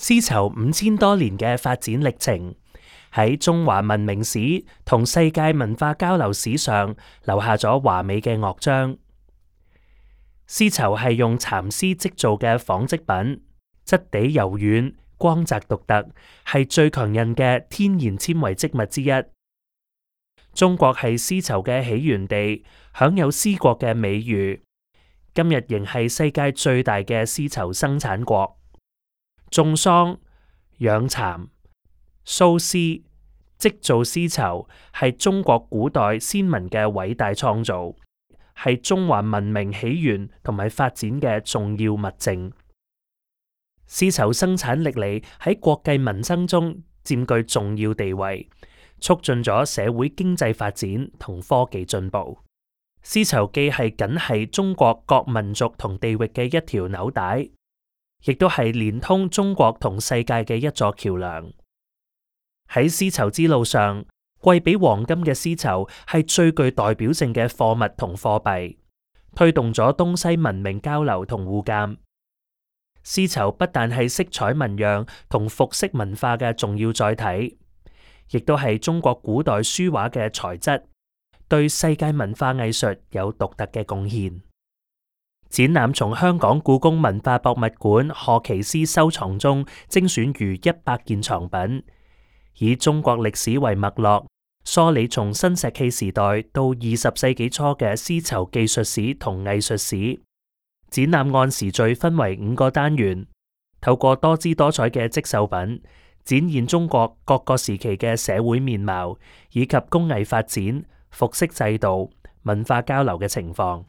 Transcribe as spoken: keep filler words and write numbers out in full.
絲綢五千多年嘅發展歷程，喺中華文明史同世界文化交流史上留下咗華美嘅樂章。絲綢係用蠶絲織造嘅紡織品，質地柔軟，光澤獨特，係最強韌嘅天然纖維織物之一。中國係絲綢嘅起源地，享有絲國嘅美譽，今日仍係世界最大嘅絲綢生產國。種桑、養蠶、繅絲、織造絲綢係中國古代先民嘅偉大創造，係中華文明起源同埋發展嘅重要物證。絲綢生產歷嚟喺國計民生中佔據重要地位，促進咗社會經濟發展同科技進步。絲綢既係緊係中國各民族同地域嘅一條紐帶，亦都係連通中國同世界嘅一座橋樑。喺絲綢之路上，貴比黃金嘅絲綢係最具代表性嘅貨物同貨幣，推動咗東西文明交流同互鑒。絲綢不但係色彩紋樣同服飾文化嘅重要載體，亦都係中國古代書畫嘅材質，對世界文化藝術有獨特嘅貢獻。展覽從香港故宮文化博物館賀奇絲收藏中精選逾一百件藏品，以中國歷史為脈絡，梳理從新石器時代到二十世紀初嘅絲綢技術史同藝術史。展覽按時序分為五個單元，透過多姿多彩嘅織繡品，展現中國各個時期嘅社會面貌，以及工藝發展、服飾制度、文化交流嘅情況。